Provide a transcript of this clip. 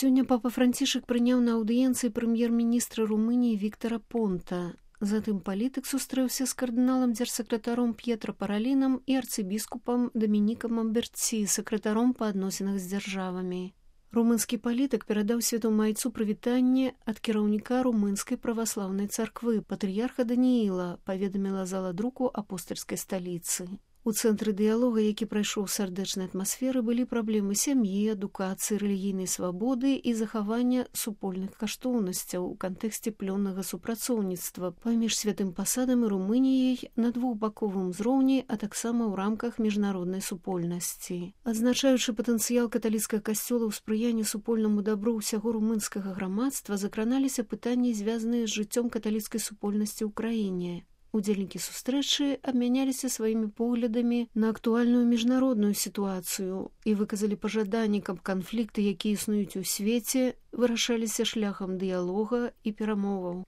Сёння папа Францішак прыняў на аўдыенцыі прэм'ер-міністра Румыніі Віктара Понта. Затым палітык сустрэўся з кардыналам дзяржсакратаром П'етра Паралінам і арцыбіскупам Дамінікам Амберці, сакратаром па адносінах з дзяржавамі. Румынскі палітык перадаў святому айцу прывітанне ад кіраўніка румынскай праваслаўнай царквы, патрыярха Данііла, паведаміла зала друку апостальскай сталіцы. У цэнтры дыялога, які прайшоў сардэчнай атмасферы, былі праблемы сям'і, адукацыі, рэлігійнай свабоды і захавання супольных каштоўнасцяў у кантэксце плённага супрацоўніцтва паміж святым пасадам і Румыніяй на двухбаковым узроўні, а таксама ў рамках міжнароднай супольнасці. Адзначаючы патэнцыял каталіцкага касцёла ў спрыянні супольнаму дабру ўсяго румынскага грамадства, закраналіся пытанні, звязаныя з жыццём каталіцкай супольнасці ў краіне. Удзельнікі сустрэчы абмяняліся сваімі поглядамі на актуальную міжнародную сітуацыю і выказалі пажаданні, каб канфлікты, якія існуюць у свеце, вырашаліся шляхам дыялога і перамоваў.